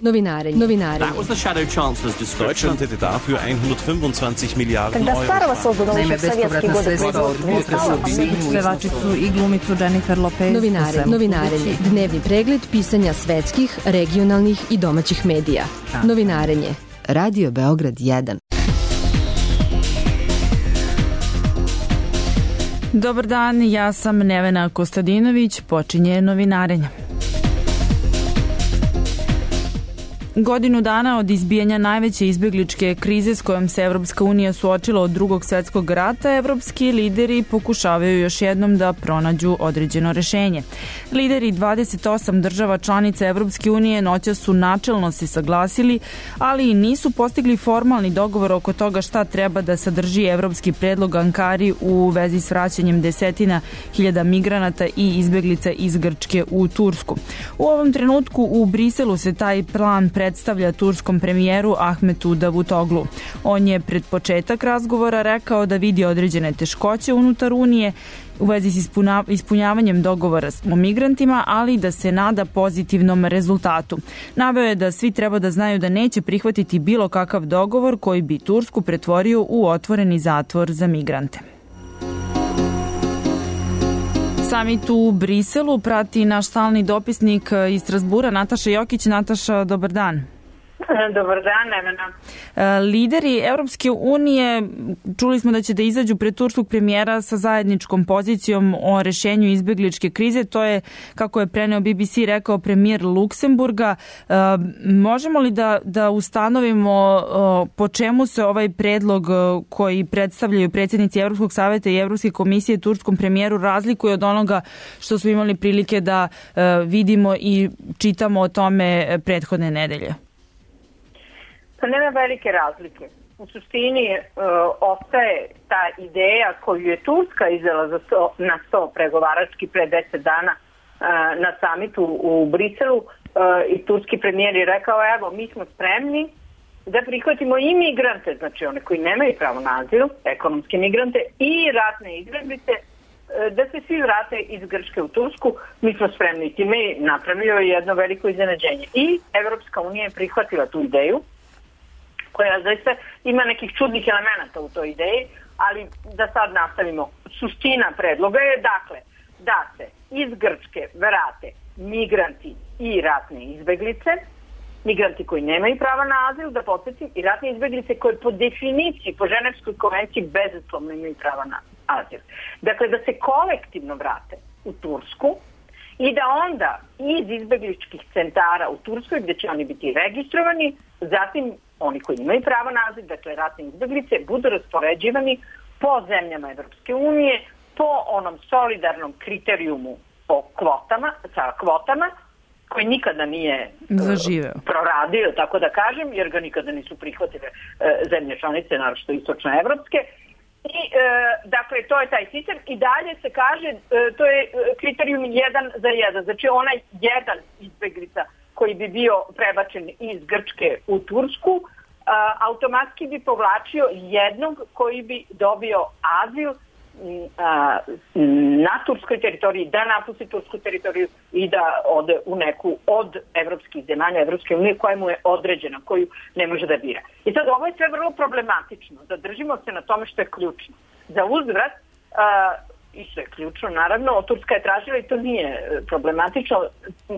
Novinarenje. That was the Shadow Chancellor's description. Deutschland hätte dafür 125 Miliarden Euro. Naime, bespovratna sredstva od pevačicu i glumicu Jennifer Lopez. Novinarenje. Dnevni pregled pisanja svetskih, regionalnih i domaćih medija. Novinarenje. Radio Beograd 1. Dobar dan, ja sam Nevena Kostadinović, počinje novinarenje. Godinu dana od izbijanja najveće izbegličke krize s kojom se Evropska unija suočila od Drugog svetskog rata, evropski lideri pokušavaju još jednom da pronađu određeno rešenje. Lideri 28 država članica Evropske unije noćas su načelno se saglasili, ali i nisu postigli formalni dogovor oko toga šta treba da sadrži evropski predlog Ankari u vezi s vraćanjem desetina hiljada migranata i izbeglica iz Grčke u Tursku. U ovom trenutku u Briselu se taj plan predstavlja turskom premijeru Ahmetu Davutoglu. On je pred početak razgovora rekao da vidi određene teškoće unutar Unije u vezi s ispunjavanjem dogovora o migrantima, ali da se nada pozitivnom rezultatu. Naveo je da svi treba da znaju da neće prihvatiti bilo kakav dogovor koji bi Tursku pretvorio u otvoreni zatvor za migrante. Samit u Briselu prati naš stalni dopisnik iz Strazbura, Nataša Jokić. Nataša, dobar dan. Dobar dan, Nevena. Lideri Evropske unije, čuli smo da će da izađu pred turskog premijera sa zajedničkom pozicijom o rešenju izbegličke krize. To je, kako je preneo BBC, rekao premijer Luksemburga. Možemo li da ustanovimo po čemu se ovaj predlog koji predstavljaju predsjednici Evropskog saveta i Evropske komisije turskom premijeru razlikuje od onoga što smo imali prilike da vidimo i čitamo o tome prethodne nedelje? Pa nema velike razlike. U suštini ostaje ta ideja koju je Turska izdala na 100 pregovarački pre 10 dana na samitu u Briselu i turski premijer je rekao, evo, mi smo spremni da prihvatimo i migrante, znači one koji nemaju pravo na azil, ekonomske migrante i ratne izbeglice, da se svi vrate iz Grčke u Tursku. Mi smo spremni. Time je napravio jedno veliko iznenađenje. I Evropska unija je prihvatila tu ideju, koja zaista ima nekih čudnih elemenata u toj ideji, ali da sad nastavimo. Suština predloga je, dakle, da se iz Grčke vrate migranti i ratne izbeglice, migranti koji nemaju prava na azil, da podsjetim, i ratne izbeglice koje po definiciji, po Ženevskoj konvenciji bezuslovno imaju prava na azil. Dakle, da se kolektivno vrate u Tursku i da onda iz izbegličkih centara u Turskoj, gde će oni biti registrovani, zatim oni koji imaju pravo na azil, dakle ratne izbeglice, budu raspoređivani po zemljama Evropske unije, po onom solidarnom kriterijumu o kvotama, sa kvotama, koji nikada nije proradio, tako da kažem, jer ga nikada nisu prihvatile zemlje članice, naročito istočnoevropske. I, dakle, to je taj sistem i dalje se kaže, to je kriterijum 1 za 1, znači onaj jedan izbeglica koji bi bio prebačen iz Grčke u Tursku, automatski bi povlačio jednog koji bi dobio azil na turskoj teritoriji, da napusti tursku teritoriju i da ode u neku od evropskih zemalja, Evropske unije koja mu je određena, koju ne može da bira. I sad ovo je sve vrlo problematično. Zadržimo se na tome što je ključno. Za uzvrat, i što je ključno, naravno, Turska je tražila, i to nije problematično,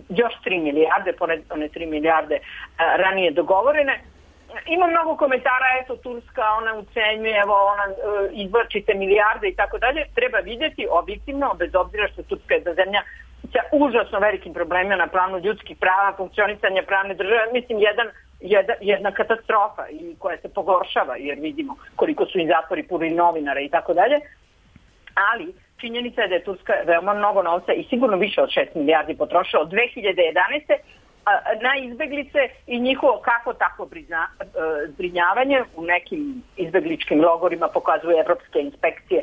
još 3 milijarde, pored one 3 milijarde ranije dogovorene. Ima mnogo komentara, eto, Turska, ona ucenjuje, evo, ona izvlačite milijarde i tako dalje. Treba vidjeti objektivno, bez obzira što Turska je zemlja sa užasno velikim problemima na planu ljudskih prava, funkcionisanja pravne države, mislim, jedna katastrofa i koja se pogoršava, jer vidimo koliko su im zatvori puni novinara i tako dalje. Ali činjenica je da je Turska veoma mnogo novca i sigurno više od 6 milijardi potrošila od 2011. na izbeglice i njihovo kako tako zbrinjavanje u nekim izbegličkim logorima, pokazuje evropske inspekcije.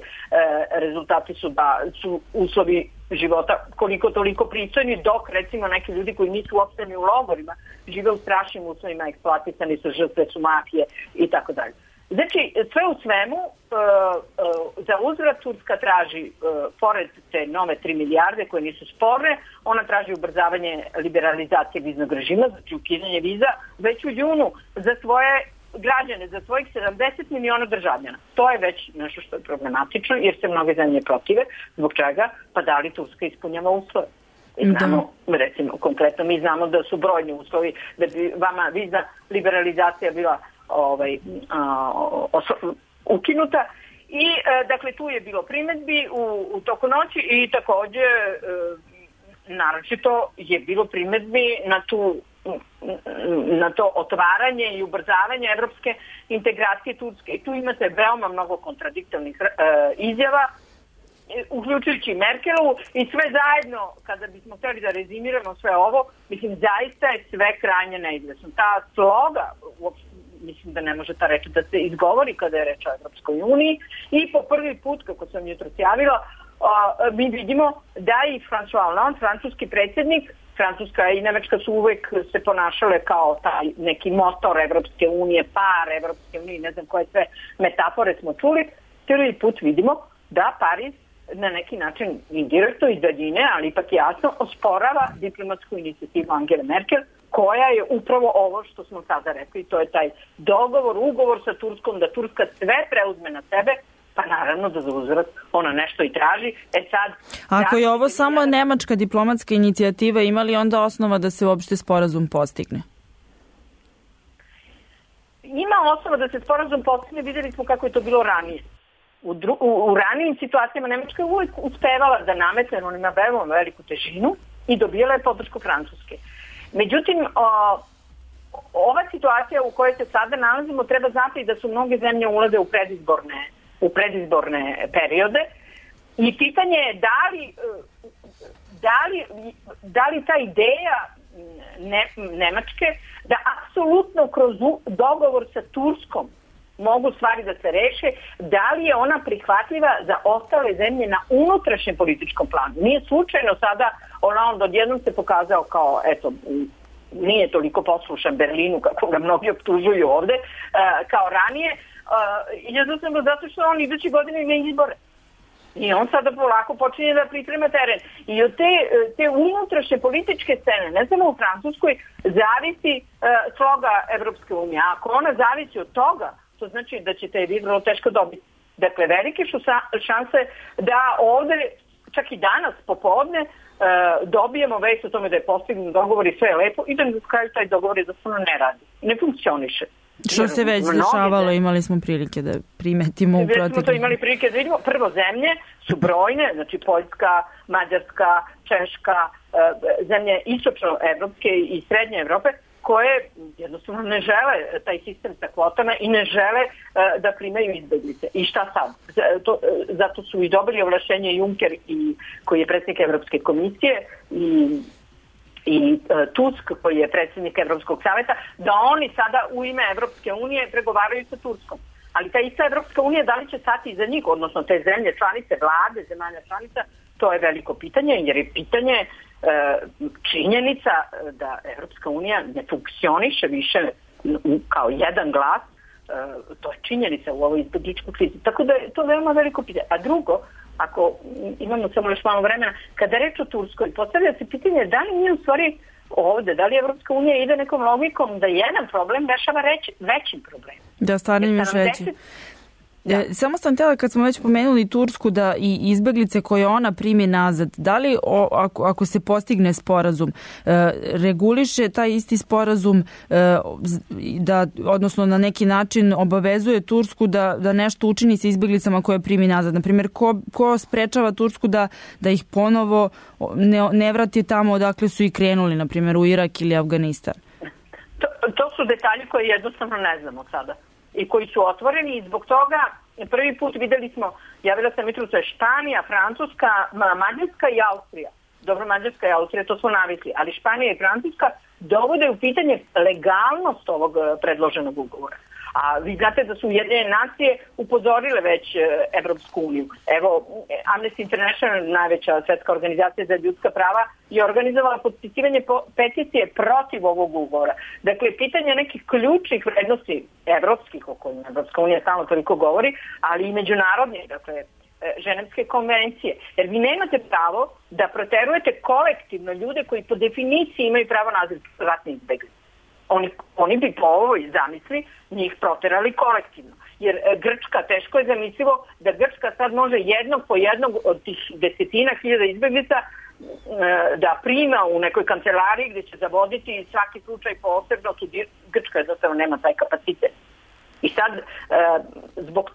Rezultati su da su uslovi života koliko toliko pristojni, dok recimo neki ljudi koji nisu uopšte u logorima žive u strašnim uslovima, eksploatisani su, žrtve su mafije i tako dalje. Znači, sve u svemu, za uzvrat Turska traži, pored te nove 3 milijarde koje nisu sporne, ona traži ubrzavanje liberalizacije viznog režima, znači ukidanje viza, već u junu za svoje građane, za svojih 70 miliona državljana. To je već nešto što je problematično, jer se mnoge zemlje protive. Zbog čega? Pa da li Turska ispunjava uslove? Znamo, recimo, konkretno mi znamo da su brojni uslovi da bi vama vizna liberalizacija bila ukinuta i dakle tu je bilo primedbi u toku noći i takođe naročito je bilo primedbi na to otvaranje i ubrzavanje evropske integracije Turske. I tu imate veoma mnogo kontradiktornih izjava, uključujući Merkelovu i sve zajedno, kada bismo hteli da rezimiramo sve ovo, mislim, zaista je sve krajnje neizvesno. Ta sloga, mislim da ne može ta reč da se izgovori kada je reč o Evropskoj uniji i po prvi put, kako sam jutros javila, mi vidimo da i François Hollande, francuski predsjednik, Francuska i Nemačka su uvek se ponašale kao taj neki motor Evropske unije, par Evropske unije, ne znam koje sve metafore smo čuli, prvi put vidimo da Pariz na neki način indirektno iz daljine, ali ipak jasno osporava diplomatsku inicijativu Angele Merkel, koja je upravo ovo što smo sada rekli, to je taj ugovor sa Turskom, da Turska sve preuzme na sebe, pa naravno da za uzvrat ona nešto i traži. Ako je ovo samo nemačka diplomatska inicijativa, ima li onda osnova da se uopšte sporazum postigne? Ima osnova da se sporazum postigne, vidjeli smo kako je to bilo ranije. U ranijim situacijama Nemačka je uvijek uspevala da nametne, on ima veoma veliku težinu i dobijala je podršku Francuske. Međutim, ova situacija u kojoj se sada nalazimo, treba znati da su mnoge zemlje ulaze u predizborne periode i pitanje je da li ta ideja Nemačke da apsolutno kroz dogovor sa Turskom mogu stvari da se reše, da li je ona prihvatljiva za ostale zemlje na unutrašnjem političkom planu. Nije slučajno sada Hollande odjednom se pokazao kao, eto, nije toliko poslušan Berlinu kako ga mnogi optužuju ovde, kao ranije, jednostavno zato što on idući godine ima izbore. I on sada polako počinje da priprema teren. I od te unutrašnje političke scene, ne samo u Francuskoj, zavisi sloga Evropske unije. A ako ona zavisi od toga, to znači da ćete je vrlo teško dobiti. Dakle, velike su šanse da ovde, čak i danas popodne, dobijemo vest o tome da je postignut dogovor i sve je lepo i da na kraju taj dogovor jednostavno ne radi. Ne funkcioniše. Što se već dešavalo, imali smo prilike da primetimo u proteklu. Već smo to imali prilike da vidimo. Prvo, zemlje su brojne, znači Poljska, Mađarska, Češka, zemlje istočno-evropske i srednje Evrope, koje jednostavno ne žele taj sistem sa kvotama i ne žele da primaju izbeglice. I šta sad? Zato su i dobili ovlašćenje Juncker, koji je predsjednik Evropske komisije, i Tusk, koji je predsjednik Evropskog savjeta, da oni sada u ime Evropske unije pregovaraju sa Turskom. Ali ta ista Evropska unija, da li će stati iza njih, odnosno te zemlje članice, vlade zemalja članica, to je veliko pitanje, jer je pitanje činjenica da Evropska unija ne funkcioniše više kao jedan glas, to je činjenica u ovoj izbegličkoj krizi. Tako da je to veoma veliko pitanje. A drugo, ako imamo samo još malo vremena, kada reč o Turskoj, postavlja se pitanje da li nije u stvari ovde, da li Evropska unija ide nekom logikom da jedan problem rešava većim problemom. Da, stvarno im još veći. Samo sam htjela, kad smo već pomenuli Tursku, da i izbeglice koje ona primi nazad, da li ako se postigne sporazum, reguliše taj isti sporazum, odnosno na neki način obavezuje Tursku da nešto učini sa izbeglicama koje primi nazad? Naprimjer, ko sprečava Tursku da ih ponovo ne vrati tamo odakle su i krenuli, naprimjer u Irak ili Afganistan? To su detalji koje jednostavno ne znamo sada i koji su otvoreni i zbog toga prvi put videli smo, javila sam jutros, Španija, Francuska, Mađarska i Austrija. Dobro, Mađarska i Austrija, to smo navikli, ali Španija i Francuska dovode u pitanje legalnost ovog predloženog ugovora. A vi znate da su Ujedinjene nacije upozorile već Evropsku uniju. Evo, Amnesty International, najveća svetska organizacija za ljudska prava, je organizovala potpisivanje peticije protiv ovog ugovora. Dakle, pitanje nekih ključnih vrednosti evropskih, o kojima Evropska unija stalno toliko govori, ali i međunarodnih, dakle, Ženevske konvencije. Jer vi nemate pravo da proterujete kolektivno ljude koji po definiciji imaju pravo na azil, ratni izbjeglice. Oni bi po ovoj zamisli njih proterali kolektivno. Jer Grčka, teško je zamislivo da Grčka sad može jednog po jednog od tih desetina hiljada izbjeglica da prima u nekoj kancelariji gdje će zavoditi svaki slučaj posebno. Grčka jednostavno nema taj kapacitet. I sad zbog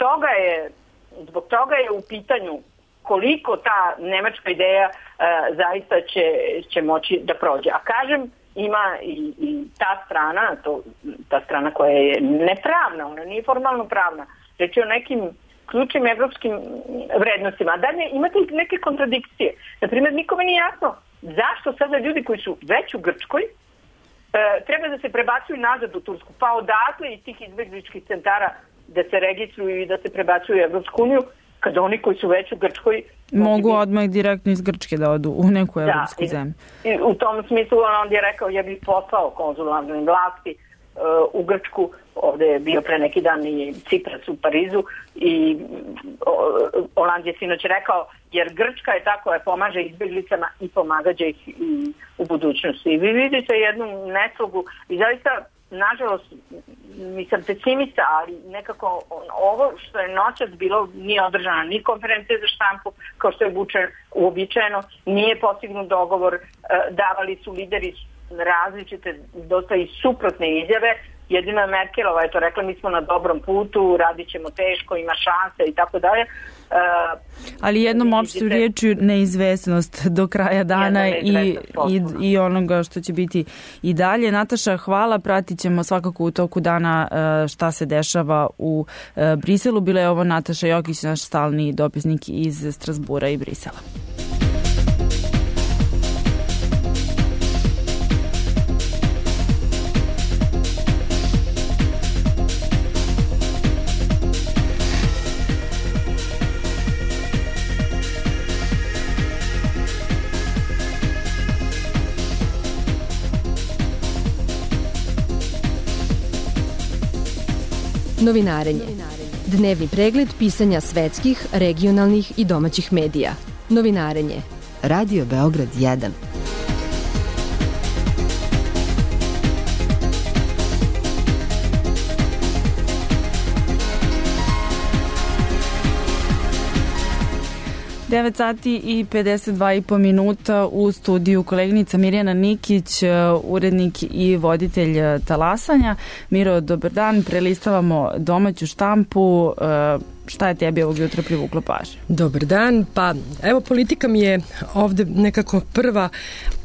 toga je u pitanju koliko ta nemačka ideja zaista će moći da prođe. A kažem, ima i ta strana koja je nepravna, ona nije formalno pravna. Reč je o nekim ključnim evropskim vrednostima. A dalje imate neke kontradikcije. Naprimjer, nikome nije jasno zašto sada ljudi koji su već u Grčkoj treba da se prebacuju nazad u Tursku, pa odatle iz tih izbjegličkih centara da se registruju i da se prebacuju u Evropsku uniju, kada oni koji su već u Grčkoj mogu odmah direktno iz Grčke da odu u neku evropsku zemlju. I u tom smislu on je rekao, ja bih poslao konzularne vlasti u Grčku. Ovde je bio pre neki dan i Cipras u Parizu i Oland je sinoć rekao, jer Grčka je ta koja pomaže izbjeglicama i pomagaće ih i u budućnosti. I vi vidite jednu neslogu i zaista, nažalost, nisam pesimista, ali nekako ovo što je noćas bilo, nije održana ni konferencija za štampu, kao što je uobičajeno, nije postignut dogovor, davali su lideri različite, dosta i suprotne izjave. Jedino je Merkelova je to rekla, mi smo na dobrom putu, radit ćemo teško, ima šanse i tako dalje. Ali jednom opštu riječju neizvesnost do kraja dana i onoga što će biti i dalje. Nataša, hvala, pratit ćemo svakako u toku dana šta se dešava u Briselu. Bila je ovo Nataša Jokić, naš stalni dopisnik iz Strasbura i Brisela. Novinarenje. Dnevni pregled pisanja svetskih, regionalnih i domaćih medija. Novinarenje. Radio Beograd 1. Devet sati i 52,5 minuta u studiju koleginica Mirjana Nikić, urednik i voditelj Talasanja. Miro, dobar dan, prelistavamo domaću štampu. Šta je tebi ovog jutra privuklo pažnju? Dobar dan, pa evo politika mi je ovde nekako prva,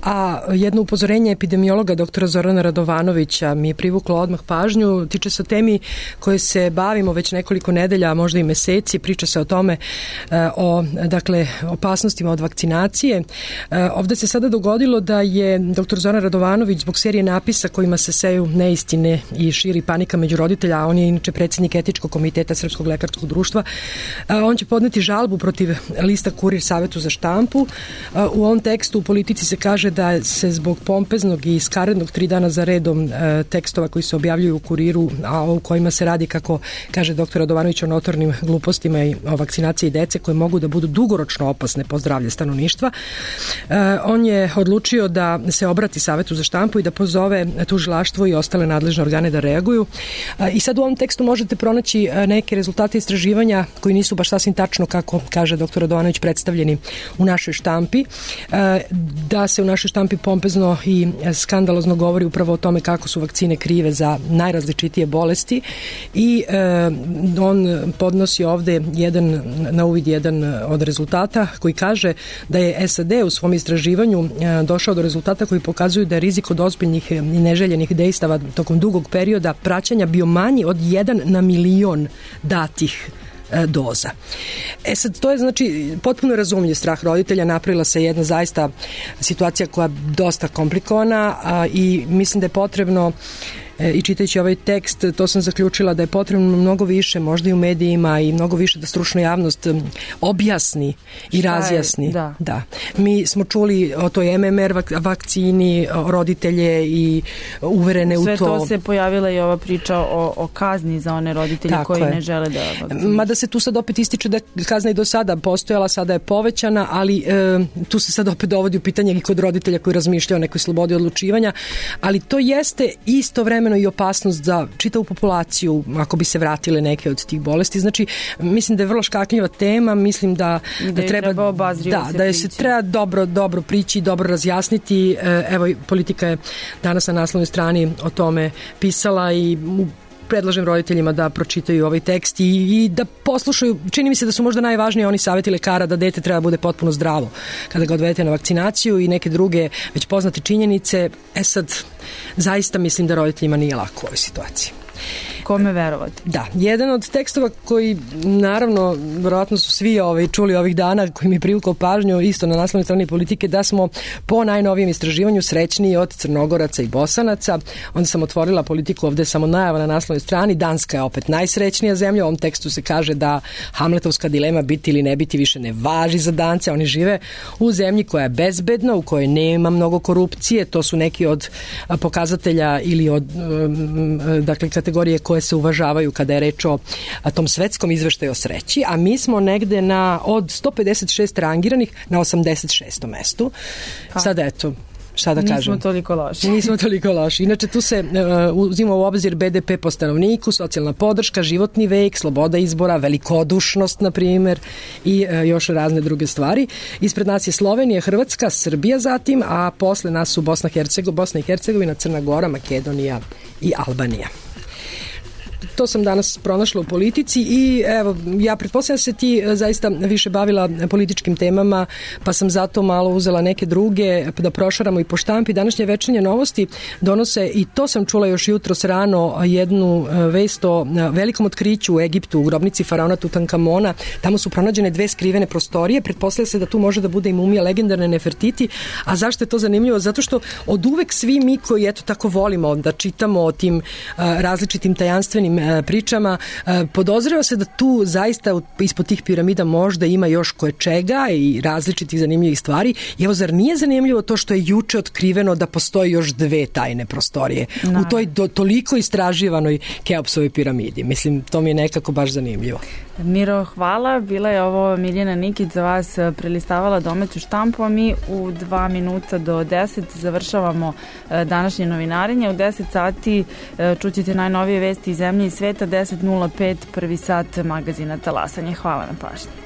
a jedno upozorenje epidemiologa doktora Zorana Radovanovića mi je privuklo odmah pažnju, tiče se o temi koje se bavimo već nekoliko nedelja, a možda i meseci, priča se o tome, o opasnostima od vakcinacije. Ovde se sada dogodilo da je doktor Zoran Radovanović zbog serije napisa kojima se seju neistine i širi panika među roditelja, a on je inače predsjednik etičkog komiteta Srpskog lekarskog društva, on će podneti žalbu protiv lista Kurir Savetu za štampu. U ovom tekstu u Politici se kaže da se zbog pompeznog i skarednog 3 dana za redom tekstova koji se objavljuju u Kuriru, a u kojima se radi, kako kaže dr. Radovanović, o notornim glupostima i o vakcinaciji dece koje mogu da budu dugoročno opasne po zdravlje stanovništva, on je odlučio da se obrati Savetu za štampu i da pozove tužilaštvo i ostale nadležne organe da reaguju. I sad u ovom tekstu možete pronaći neke rezultate istraživanja koji nisu baš sasvim tačno, kako kaže dr. Radovanović, predstavljeni u našoj štampi, da se u našoj štampi pompezno i skandalozno govori upravo o tome kako su vakcine krive za najrazličitije bolesti i on podnosi ovde na uvid jedan od rezultata koji kaže da je SAD u svom istraživanju došao do rezultata koji pokazuju da je rizik od ozbiljnih i neželjenih dejstava tokom dugog perioda praćenja bio manji od 1 na milion datih doza. Sad, to je znači potpuno razumljiv strah roditelja, napravila se jedna zaista situacija koja je dosta komplikovana i mislim da je potrebno i čitajući ovaj tekst, to sam zaključila da je potrebno mnogo više, možda i u medijima, i mnogo više da stručna javnost objasni i razjasni. Da. Mi smo čuli o toj MMR vakcini, roditelje i uverene u to. Sve to se pojavila i ova priča o kazni za one roditelje koji ne žele da vakcinišu. Mada se tu sad opet ističe da kazna i do sada postojala, sada je povećana, ali tu se sad opet dovodi u pitanje i kod roditelja koji razmišljaju o nekoj slobodi odlučivanja, ali to jeste istovremeno i opasnost za čitavu populaciju ako bi se vratile neke od tih bolesti. Znači, mislim da je vrlo škakljiva tema, mislim da treba da se treba dobro prići, dobro razjasniti. Evo, Politika je danas na naslovnoj strani o tome pisala i predlažem roditeljima da pročitaju ovaj tekst i da poslušaju. Čini mi se da su možda najvažniji oni savjeti lekara da dete treba bude potpuno zdravo kada ga odvedete na vakcinaciju i neke druge već poznate činjenice. Sad, zaista mislim da roditeljima nije lako u ovoj situaciji. Kome verovati? Da, jedan od tekstova koji, naravno, verovatno su svi čuli ovih dana, koji mi je privukao pažnju, isto na naslovnoj strani Politike, da smo po najnovijem istraživanju srećniji od Crnogoraca i Bosanaca. Onda sam otvorila Politiku, ovde je samo najava na naslovnoj strani. Danska je opet najsrećnija zemlja. U ovom tekstu se kaže da Hamletovska dilema biti ili ne biti više ne važi za Dance. Oni žive u zemlji koja je bezbedna, u kojoj nema mnogo korupcije. To su neki od pokazatelja ili od kategorije koje se uvažavaju kada je reč o tom svetskom izveštaju o sreći, a mi smo negde od 156 rangiranih na 86. mestu. Sada eto, šta da kažem? Nismo toliko loši. Inače, tu se uzima u obzir BDP po stanovniku, socijalna podrška, životni vek, sloboda izbora, velikodušnost, na primjer, i još razne druge stvari. Ispred nas je Slovenija, Hrvatska, Srbija zatim, a posle nas su Bosna i Hercegovina, Crna Gora, Makedonija i Albanija. To sam danas pronašla u Politici i evo, ja pretpostavljam se ti zaista više bavila političkim temama, pa sam zato malo uzela neke druge da prošaramo i po štampi. Današnje Večernje novosti donose, i to sam čula još jutros rano, jednu vest o velikom otkriću u Egiptu, u grobnici faraona Tutankamona. Tamo su pronađene 2 skrivene prostorije. Pretpostavlja se da tu može da bude i mumija legendarne Nefertiti. A zašto je to zanimljivo? Zato što od uvek svi mi koji eto tako volimo da čitamo o tim različitim tajanstvenim pričama, podozreva se da tu zaista ispod tih piramida možda ima još koječega i različitih zanimljivih stvari. I evo, zar nije zanimljivo to što je juče otkriveno da postoji još 2 tajne prostorije u toj toliko istraživanoj Keopsovoj piramidi? Mislim, to mi je nekako baš zanimljivo. Miro, hvala. Bila je ovo Miljana Nikić za vas prelistavala domaću štampu, a mi u 2 minuta do 10 završavamo današnje novinarenje. U 10 sati čućete najnovije vesti iz zemlje i sveta, 10.05 prvi sat magazina Talasanje. Hvala na pažnji.